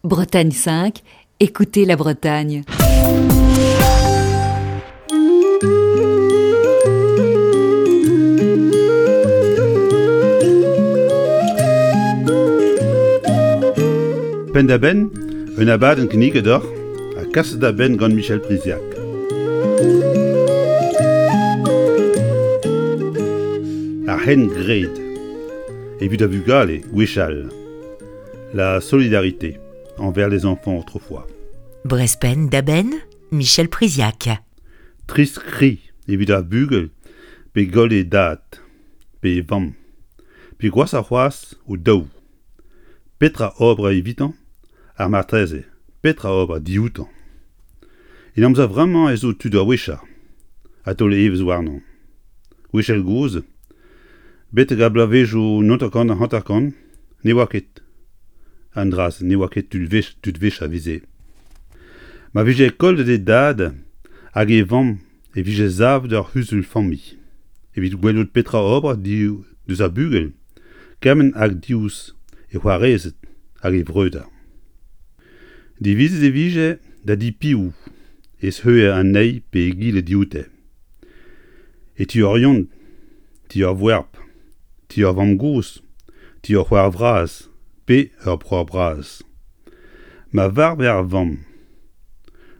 Bretagne 5, écoutez la Bretagne. Penn-da-benn, un abadenn kinniget deoc'h ha kaset da benn gant Michel Priziac. Ar c'hengred evit ar vugale gwechall. La solidarité envers les enfants autrefois. Brespen da-benn, Michel Priziac. Trist kri evit ar bugel pe goll e dad pe e vamm, pe gwashoc'h c'hoazh o daou. Petra ober evitañ ha marteze petra ober dioutañ? En amzer vremañ ez zo tud a-wechañ ha taol evezh warnañ. Gwechall-gozh, betek ar bloavezhioù 1950 ne oa ket an dra-se, ne oa ket tud wech tud wech a veze. Ma vije kollet e dad hag e vamm e vije savet ur c'huzul familh evit gwelout petra ober diouzh ar bugel kement hag diouzh e c'hoarezed hag e vreudeur. Divizet e vije da di piv ez heuilhe an eil pe egile dioute. E ti ur yont, ti ur voerb, ti ur vamm-gozh, ti ur c'hoar vras pe ur breur bras. Ma varve ar vamm,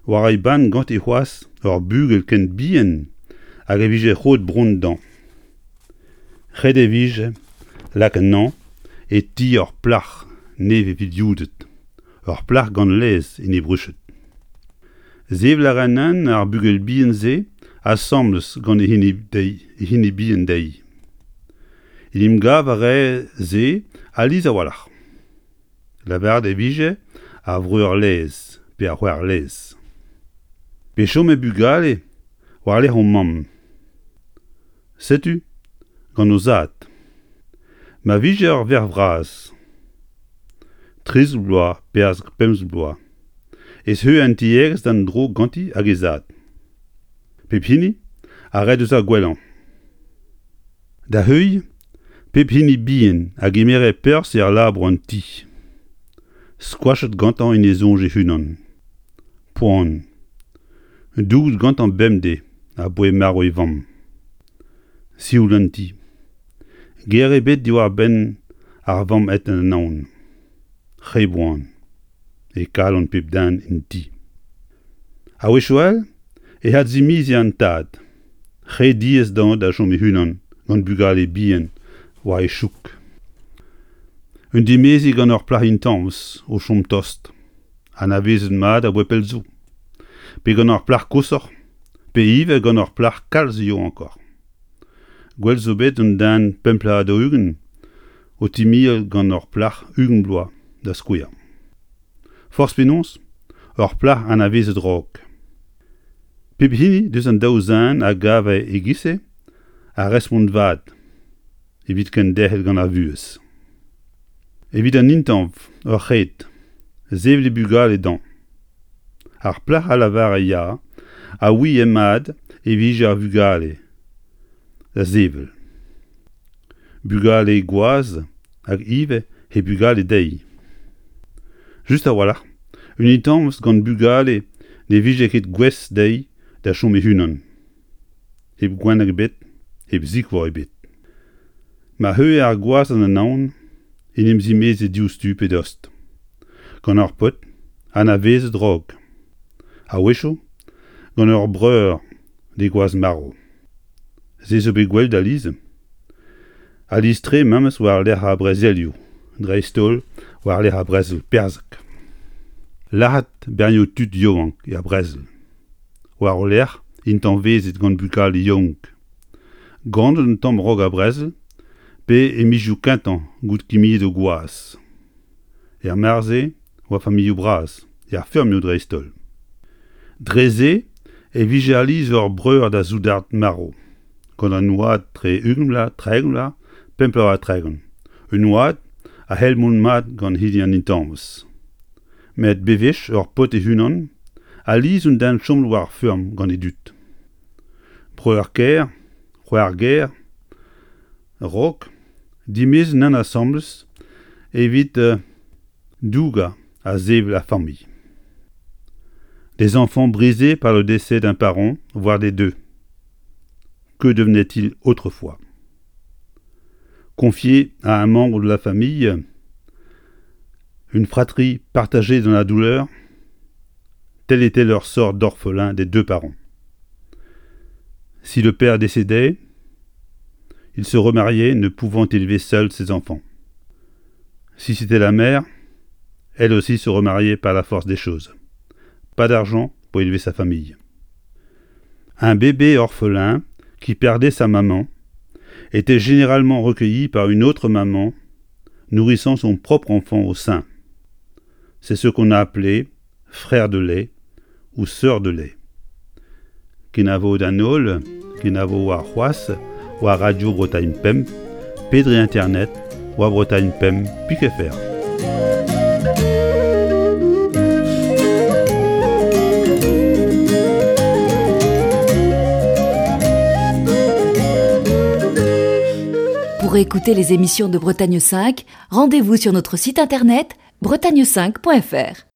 war e benn ganti c'hoazh ur bugel ken bihan hag e vije roet bronn dezhañ. Ret e vije lakaat anezhañ e ti ur plac'h nevez-vilioudet, ur plac'h gant laezh en he bruched. Sevel a raen ar bugel bihan-se asambles gant e hini dezhi, e hini bihan dezhi. En em gav a rae se alies a-walc'h. Lavaret e vije ar vreur-laezh pe ar c'hoar-laezh. Pe chome bugale war-lerc'h o mamm. Setu gant o zad. Ma vije ur verc'h vras, 13 bloaz pe 15 bloaz, ez heu an tiegezh d'an dro ganti hag he zad. Pep hini a rae deus ar gwellañ. Da heuilh, pep hini bihan a gemere perzh er labour an ti, skoachet gantañ en e soñj e-unan. Poan. Douget gantañ bemdez aboae marv e vamm. Sioul an ti. Ger ebet diwar-benn ar vamm aet d'an anaon. Re boan. E kalon pep den en ti. A-wechoù all e adzimiziñ an tad. Re diaes dezhañ da chom e-unan gant bugale bihan war e chouk. Un dimeziñ gant ur plac'h intañvez o chom tost. anavezet mat aboae pell zo, pe gant ur plac'h koshoc'h, pe ivez gant ur plac'h kalz yaouankoc'h. Gwell zo bet un den pemp bloaz ha 40 o timial gant ur plac'h 20 bloaz, da skouer. Forzh penaos, ur plac'h anavezet raok. Pep hini deus an daou zen a gave e-giz-se ar respont vat evit kenderc'hel gant ar vuhez. Evit an intañv ur c'hred, sevel e bugale dezhañ. Ar plac'h a lavare ya a ouie mat e vije ar vugale da sevel. Bugale gwaz hag ivez he bugale dezhi. Just a-walc'h, un intañvez gant bugale ne vije ket gouest dezhi da chom e-unan. hep gwenneg ebet, hep sikour ebet. Ma heuilhe ar gwaz an anaon en em zimeze diouzhtu pe dost, gant ur paotr anavezet raok, a-wechoù gant ur breur d'e gwaz marv. Se zo bet gwelet alies, alies-tre memes war-lerc'h ar brezelioù, dreist-holl war-lerc'h ar brezel perzhek. Lazhet bernioù tud yaouank er brezel. War o lerc'h intañvezet gant bugale yaouank. Ganet un tamm 'raok ar brezel pe e mizioù kentañ goude kimiet o gwaz. Er mare-se oa familhoù bras, er feurmioù dreist-holl. Dre-se e vije alies ur breur da soudard marv, gant an oad tre 20 vloaz, 30 vloaz, 5 vloaz ha 30. Un oad a c'hell mont mat gant hini an intañvez. Met bewech ur paotr e-unan alies un den chom war ar feurm gant e dud. Breur-kaer, c'hoar-gaer, raok, dimezet nann asambles evit dougañ a sevel ar familh. Des enfants brisés par le décès d'un parent, voire des deux. Que devenaient-ils autrefois? Confiés à un membre de la famille, une fratrie partagée dans la douleur, tel était leur sort d'orphelin des deux parents. Si le père décédait, il se remariait, ne pouvant élever seul ses enfants. Si c'était la mère, elle aussi se remariait par la force des choses. Pas d'argent pour élever sa famille. Un bébé orphelin qui perdait sa maman était généralement recueilli par une autre maman nourrissant son propre enfant au sein. C'est ce qu'on a appelé frère de lait ou sœur de lait. Kenavo d'an holl, kenavo warc'hoazh war Radio Bretagne Pemp pe dre internet war Bretagne Pemp pik fr. Pour écouter les émissions de Bretagne 5, rendez-vous sur notre site internet bretagne5.fr.